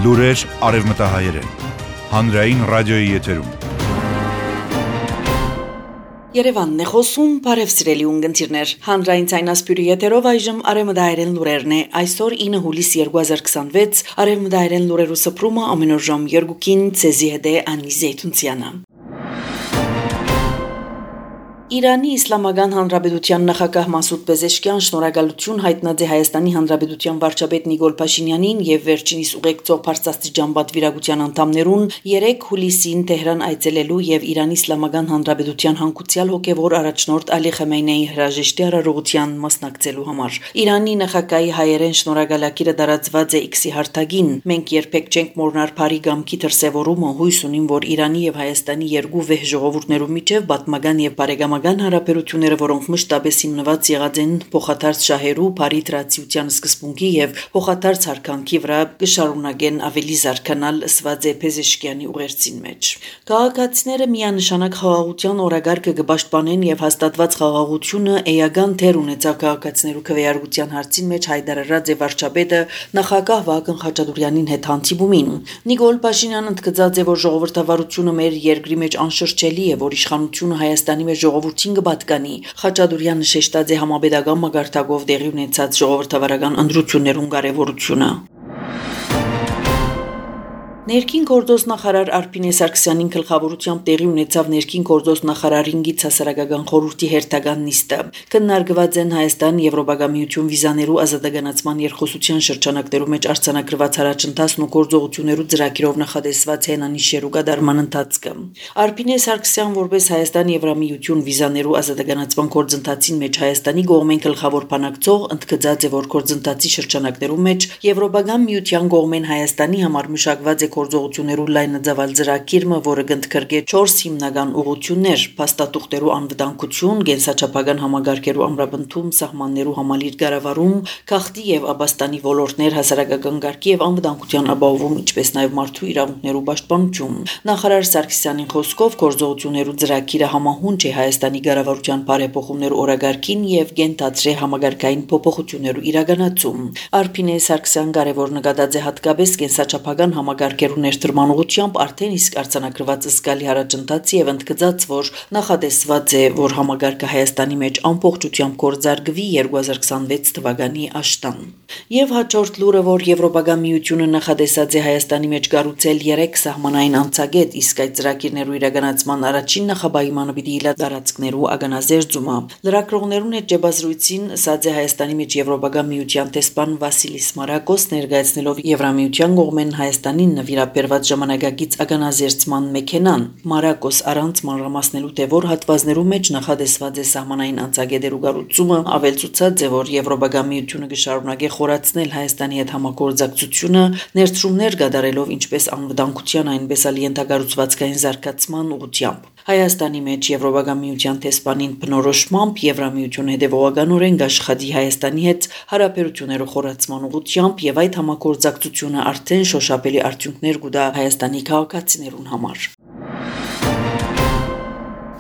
Լուրեր արևմտահայերեն, հանրային ռադիոյի եթերում։ Երևանն է խոսում, բարև սիրելի ունգընտիրներ, հանրային ցայնասպյուրի եթերով այժմ արևմտահայերեն լուրերն է, այսօր 9 հուլիս 2026, արևմտահայերեն լուրերու սփռումը ամենօր ժամ 2-ին ցեզի հետ է Անի Զեյթունցյանը։ Իրանի Իսլամական Հանրապետության նախագահ Մասուդ Պեզեշկյան շնորհակալություն հայտնած է Հայաստանի Հանրապետության վարչապետ Նիկոլ Փաշինյանին եւ վերջինիս ուղեկցող բարձրաստիճան պատվիրակության անդամներուն 3 հուլիսին Թեհրան այցելելու եւ Իրանի Իսլամական Հանրապետության հանգուցյալ հոգեվոր առաջնորդ Ալի Խամեյնեի հրաժեշտի արարողության մասնակցելու համար։ Իրանի նախագահի հայերեն շնորհակալակիրը դարածված է X-ի հարթագին։ Մենք երբեք չենք մոռանալ Փարի գամքի դրսևորումը, հույս ունիմ, որ Իրանի եւ Հայաստանի երկու վեհ ժողովուրդներու միջև պատմական եւ բարեկամական հարաբերությունները, որոնք մշտապես հիմնված եղած են փոխադարձ շահերու, բարի տրադիցիոն սկզբունքի եւ փոխադարձ հարկանքի վրա, կշարունակեն ավելի զարգանալ, ըսված է Պեզեշկյանի ուղերձին մեջ։ Քաղաքացիները միանշանակ խաղաղության օրագարկը կպաշտպանեն եւ հաստատված խաղաղությունը էական դեր ունեցավ քաղաքացիներու քվեարկության հարցին մեջ հայտարարած է վարչապետը նախագահ Վահագն Խաչատուրյանին հետ հանդիպումին։ Նիկոլ Փաշինյանը ընդգծած է, որ ժողովրդավարությունը մեր երկրի մեջ անշրջելի է, որ իշխանությունը Հայաստանի մեջ ժողովրդին կպատկանի։ Խաչատուրյանը շեշտած է համապետական մակարդակով տեղի ունեցած ժողովրդավարական ընտրություններուն կարևորությունը։ Ներքին գործոս նախարար Արփինե Սարգսյանին գլխավորությամբ տեղի ունեցավ ներքին գործոս նախարարին գից հասարակական խորհրդի հերթական նիստը։ Քննարկված են Հայաստան Եվրոպական միություն վիզաներու ազատագնացման երկխոսության շրջանակներու մեջ արձանագրված առաջընթացն ու գործողություններու ծրագիրով նախադեсված հենանիշերու կատարման ընթացքը։ Արփինե Սարգսյան որպես Հայաստան Եվրամիություն վիզաներու ազատագնացման գործընթացին մեջ Հայաստանի կողմեն գլխավոր բանակցող ընդգծած է, որ գործընթացի շրջանակներու մեջ Եվրոպական միության կողմեն Հայաստանի համար մշակված է գործողություններու լայնածավալ ծրագիրը, որը կընդգրկե 4 հիմնական ուղղություններ՝ փաստաթուղթերու անվտանգություն, կենսաչափական համագարկերու ամրապնդում, սահմաններու համալիր կառավարում, քաղտի եւ աբաստանի ոլորտներ, հասարակական կարգի եւ անվտանգության ապահովում, ինչպես նաեւ մարդու իրավունքներու պաշտպանություն։ Նախարար Սարգսյանի խոսքով գործողություններու ծրագիրը համահունչ է Հայաստանի կառավարության բարեփոխումներու օրագարկին եւ կենտացրե համագարկային փոփոխություններու իրականացում։ Արփինե Սարգսյան կարևոր նկատած է հատկապես կենսաչափական համագարկերու ներդրման ուղղությամբ արդեն իսկ արձանագրված զգալի առաջընթացի եւ ընդգծած, որ նախադեсված է, որ համագարկը Հայաստանի մեջ ամբողջությամբ կորզարկվի 2026 թվականի աշտան։ Եվ հաջորդ լուրը, որ Եվրոպական միությունը նախադեсած է Հայաստանի մեջ կառուցել 3 սահմանային անցագետ, իսկ այդ ծրագիրներու իրականացման առաջին նախապայմանը պիտի իլա տարածքներու ագանազերծումը։ Լրագրողներուն հետ ջեբազրույցին ասած է Հայաստանի մեջ Եվրոպական միության տեսփան Վասիլիս Մարակոս ներկայացնելով Եվրամիության կողմեն Հայաստանին նվիրաբերված ժամանակակից ագանազերծման մեքենան։ Մարակոս առանց մանրամասնելու թե որ հատվածներու մեջ նախադեсված է սահմանային անցագետերու կառուցումը, ավելցուցած է, որ Եվրոպական միությունը կշարունակի խորացնել Հայաստանի հետ համագործակցությունը, ներդրումներ կատարելով ինչպես անվտանգության, այնպես էլ ենթակառուցվածքային զարգացման ուղղությամբ։ Հայաստանի մեջ Եվրոպական միության տեսփանին բնորոշմամբ Եվրամիությունը հետևողականորեն կաշխատի Հայաստանի հետ հարաբերություններու խորացման ուղղությամբ եւ այդ համագործակցությունը արդեն շոշափելի արդյունքներ կուտա Հայաստանի քաղաքացիներուն համար։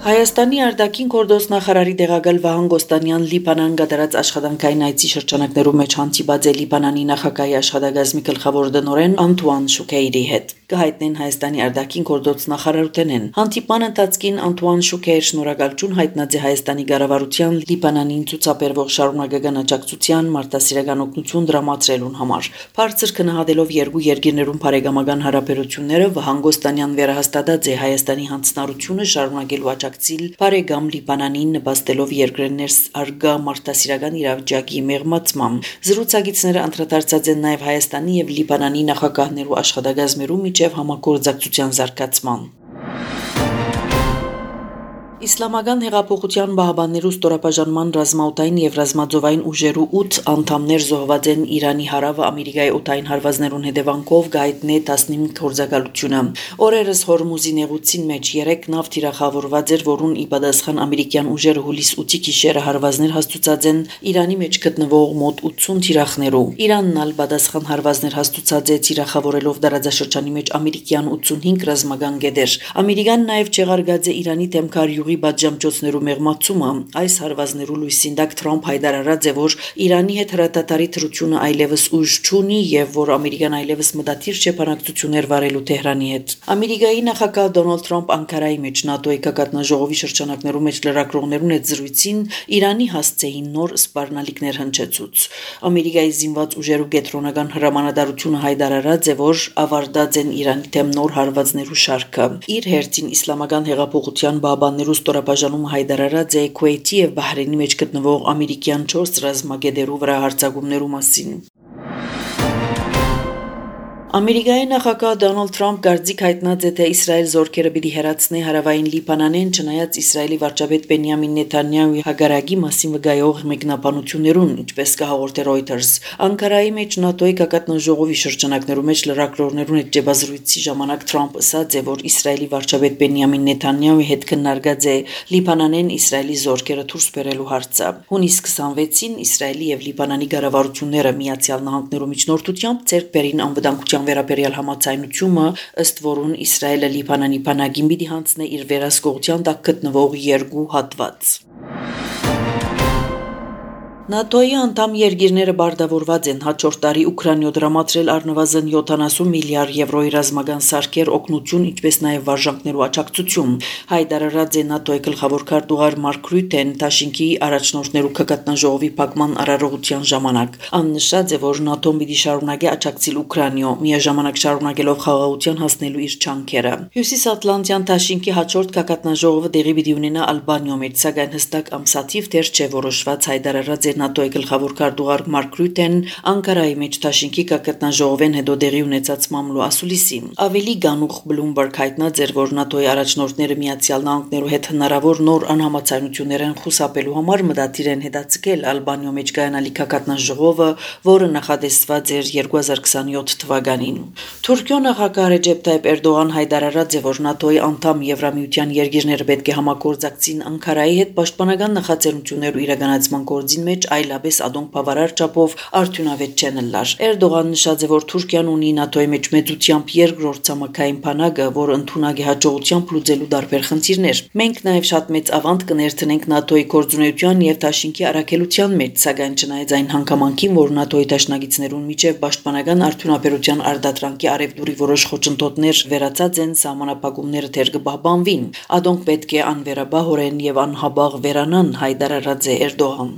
Հայաստանի արտաքին գործոս նախարարի տեղակալ Վահան Գոստանյան Լիբանան կատարած աշխատանքային այցի շրջանակներու մեջ հանդիպած է Լիբանանի նախագահի աշխատակազմի գլխավոր տնօրեն Անտուան Շուքեյրի հետ։ Կհայտնեն Հայաստանի արտաքին գործոս նախարարութենեն։ Հանդիպման ընթացքին Անտուան Շուքեյր շնորհակալություն հայտնած է Հայաստանի կառավարության Լիբանանին ցուցաբերվող շարունակական աջակցության մարդասիրական օգնություն դրամատրելուն համար։ Բարձր գնահատելով երկու երկիրներուն բարեկամական հարաբերությունները, Վահան Գոստանյան վերահաստատած է Հայաստանի հանձնառությունը շարունակելու բարեկամ Լիբանանին նպաստելով երկրներս արգա մարդասիրական իրավիճակի մեղմացմամբ։ Զրուցակիցները անդրադարձած են նաև Հայաստանի եւ Լիբանանի նախագահներու աշխատակազմերու միջև համագործակցության զարգացման։ Իսլամական հեղափոխության բահբաններու ստորաբաժանման ռազմաօդային եւ ռազմաձովային ուժերու 8 անդամներ զոհված են Իրանի հարավը Ամերիկայի օդային հարվածներուն հետևանքով գայտնե 15 գործակալությունը։ Օրերս Հորմուզի նեղուցին մեջ 3 նավ թիրախավորված էր, որուն ի պատասխան ամերիկյան ուժերը հուլիս 8-ի գիշերը հարվածներ հաստուցած են Իրանի մեջ գտնվող մոտ 80 թիրախներու։ Իրանն ալ պատասխան հարվածներ հաստուցած է թիրախավորելով դարաձաշրջանի մեջ ամերիկյան 85 ռազմական գետեր։ Ամերիկան նաեւ չեղարկած է Իրանի դեմ քարյուղի գյուղի բաժամջոցներու մեղմացումը։ Այս հարվածներու լույսին դակ Թրամփ հայտարարած է, որ Իրանի հետ հրատատարի թրությունը այլևս ուժ չունի եւ որ Ամերիկան այլևս մտադիր չէ բանակցություններ վարելու Թեհրանի հետ։ Ամերիկայի նախագահ Դոնալդ Թրամփ Անկարայի մեջ ՆԱՏՕ-ի կակատնաժողովի շրջանակներում մեջ լրագրողներուն հետ զրույցին Իրանի հասցեին նոր սպառնալիքներ հնչեցուց։ Ամերիկայի զինված ուժերու կենտրոնական հրամանատարությունը հայտարարած է, որ ավարտած են Իրանի դեմ նոր հարվածներու շարքը։ Իր հերթին իսլամական հեղափոխության բաբաններու ստորաբաժանումը հայտարարած է Քուեյթի եւ Բահրեյնի մեջ գտնվող ամերիկյան 4 ռազմագետերու վրա հարձակումներու մասին։ Ամերիկայի նախագահ Դոնալդ Թրամփ գարձիկ հայտնած է, թե Իսրայել զորքերը պիտի հեռացնի հարավային Լիբանանեն, չնայած Իսրայելի վարչապետ Բենյամին Նեթանյահուի հագարագի մասին վկայող մեկնաբանություններուն, ինչպես կհաղորդե Reuters։ Անկարայի մեջ ՆԱՏՕ-ի կակատնաժողովի շրջանակներում մեջ լրագրողներուն հետ ջեբազրույցի ժամանակ Թրամփ ասաց է, որ Իսրայելի վարչապետ Բենյամին Նեթանյահուի հետ քննարկած է Լիբանանեն Իսրայելի զորքերը դուրս բերելու հարցը։ Հունիսի 26-ին Իսրայելի եւ Լիբանանի կառավարությունները Միացյալ Նահանգներու միջնորդությամբ ձեռք բերին անվտանգության վերաբերյալ համաձայնությունը, ըստ որուն Իսրայելը Լիբանանի բանակին պիտի հանձնե իր վերահսկողության տակ գտնվող 2 հատված։ ՆԱՏՕ-ի անդամ երկիրները բարտավորված են հաջորդ տարի Ուկրաինայ դրամատրել առնվազն 70 միլիարդ եվրոյի ռազմական սարքեր օգնություն, ինչպես նաև վարժանքներու աջակցություն։ Հայտարարած է ՆԱՏՕ-ի գլխավոր քարտուղար Մարկ Ռյուտեն Թաշինքի առաջնորդներու կակատնաժողովի փակման արարողության ժամանակ։ Աննշած է, որ ՆԱՏՕ-ն պիտի շարունակի աջակցել Ուկրաինայ, միաժամանակ շարունակելով խաղաղության հասնելու իր չանքերը։ Հյուսիսատլանտյան Թաշինքի հաջորդ կակատնաժողովը տեղի պիտի ունենա Ալբանիայում, սակայն հստակ ամսաթիվ դեռ չէ որոշված, հայտարարած է ՆԱՏՕ-ի գլխավոր քարտուղար Մարկ Ռյուտեն Անկարայի մեջ Թաշինքի կակատնաժողովեն հետո տեղի ունեցած մամլո ասուլիսի։ Ավելի գանուխ Բլումբերգ հայտնած էր, որ ՆԱՏՕ-ի առաջնորդները Միացյալ Նահանգներու հետ հնարավոր նոր անհամաձայնություններ են խուսափելու համար մտադիր են հետաձգել Ալբանիայում մեջ կայանալի կակատնաժողովը, որը նախատեսված էր 2027 թվականին։ Թուրքիո նախագահ Ռեջեփ Թայիփ Էրդողան հայտարարած է, որ ՆԱՏՕ-ի անդամ Եվրամիության երկիրները պետք է համագործակցին Անկարայի հետ պաշտպանական նախաձեռնություններու իրականացման գործին մեջ այլապես ադոնք բավարար չափով արդյունավետ չեն լար։ Էրդողան նշած է, որ Թուրքիան ունի ՆԱՏՕ-ի մեջ մեծությամբ երկրորդ ցամաքային բանակը, որը ընդունակ է հաջողությամբ լուծելու տարբեր խնդիրներ։ Մենք նաև շատ մեծ ավանդ կներդնենք ՆԱՏՕ-ի գործունեության եւ Թաշինքի առաքելության մեջ, սակայն չնայած այն հանգամանքին, որ ՆԱՏՕ-ի դաշնակիցներուն միջև պաշտպանական արդյունաբերության արդատրանքի արևդուրի որոշ խոչընդոտներ վերացած են, սահմանափակումները դեռ կպահպանվին։ Ադոնք պետք է անվերաբահորեն եւ անհաբաղ վերանան, հայտարարած է Էրդողան։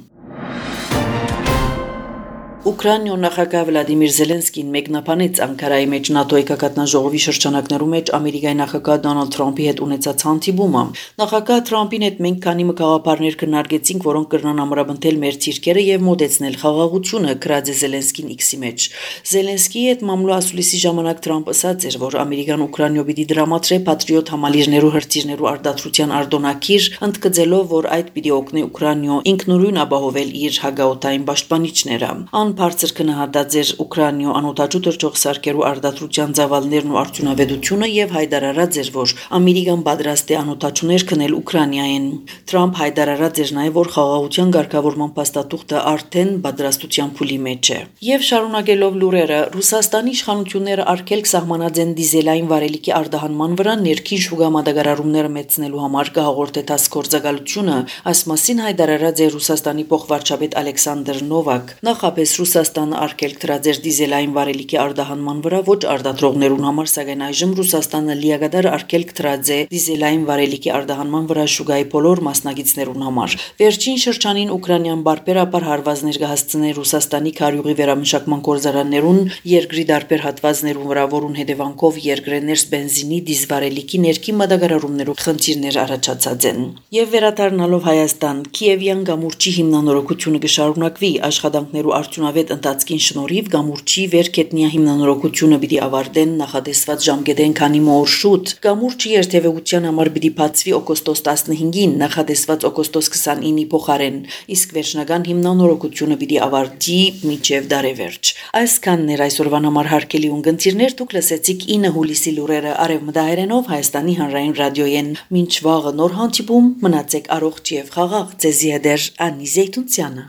Ուկրաինայ նախագահ Վլադիմիր Զելենսկին մեկնաբանեց Անկարայի մեջ ՆԱՏՕ-ի կակատնաժողովի շրջանակներում մեջ Ամերիկայի նախագահ Դոնալդ Թրամփի հետ ունեցած հանդիպումը։ Նախագահ Թրամփին հետ մենք քանի մգաղափարներ քննարկեցինք, որոնք կրնան ամրապնդել մեր թիրքերը եւ մոտեցնել խաղաղությունը, գրած է Զելենսկին X-ի մեջ։ Զելենսկիի հետ մամլո ասուլիսի ժամանակ Թրամփ ասաց էր, որ Ամերիկան Ուկրաինայ պիտի դրամատրե Patriot համալիրներու հրթիռներու արդարացության արձոնակիր, ընդգծելով, որ այդ պիտի օգնի Ուկրաինայ ինքնուրույն ապահովել իր հագաօտային պաշտպանիչները։ Բարձր քննադատած էր Ուկրաինայ անօտաչու թռչող սարքերու արդարացության ծավալներն ու արդյունավետությունը եւ հայտարարած էր, որ Ամերիկան պատրաստ է անօտաչուներ քնել Ուկրաինայեն։ Թրամփ հայտարարած էր նաեւ, որ խաղաղության ղեկավարման փաստաթուղթը արդեն պատրաստության փուլի մեջ է։ Եվ շարունակելով լուրերը, Ռուսաստանի իշխանությունները արգելք սահմանած են դիզելային վարելիքի արտահանման վրա ներքին շուկա մատակարարումները մեծնելու համար կհաղորդե տասկորձակալությունը, այս մասին հայտարարած է Ռուսաստանի փոխվարչապետ Ալեքսանդր Նովակ։ Նախապես Ռուսաստանը արգելք դրած էր դիզելային վարելիքի արտահանման վրա ոչ արտադրողներուն համար, սակայն այժմ Ռուսաստանը լիակատար արգելք դրած է դիզելային վարելիքի արտահանման վրա շուկայի բոլոր մասնակիցներուն համար։ Վերջին շրջանին Ուկրաինան բարբերաբար հարվածներ կհասցնի Ռուսաստանի քարյուղի վերամշակման գործարաններուն երկրի տարբեր հատվածներուն վրա, որուն հետևանքով երկրի ներս բենզինի դիզվարելիքի ներքին մատակարարումներով խնդիրներ առաջացած են։ Եվ վերադառնալով Հայաստան, Կիևյան գամուրջի հիմնանորոգությունը կշարունակվի աշխատանքներու արդյունավետ ընթացքին շնորհիվ գամուրջի վերքետնյա հիմնանորոգությունը պիտի ավարտեն նախատեսված ժամկետեն քանի օր շուտ։ Գամուրջի երթևեկության համար պիտի բացվի օգոստոս 15-ին, նախատեսված օգոստոս 29-ի փոխարեն, իսկ վերջնական հիմնանորոգությունը պիտի ավարտի մինչև դարեվերջ։ Այսքանն էր այսօրվան համար հարգելի ունգընտիրներ, դուք լսեցիք 9 հուլիսի լուրերը արևմտահայերենով Հայաստանի հանրային ռադիոյեն։ Մինչ վաղը նոր հանդիպում, մնացեք առողջ եւ խաղաղ, ձեզի հետ Անի Զեյթունցյանը։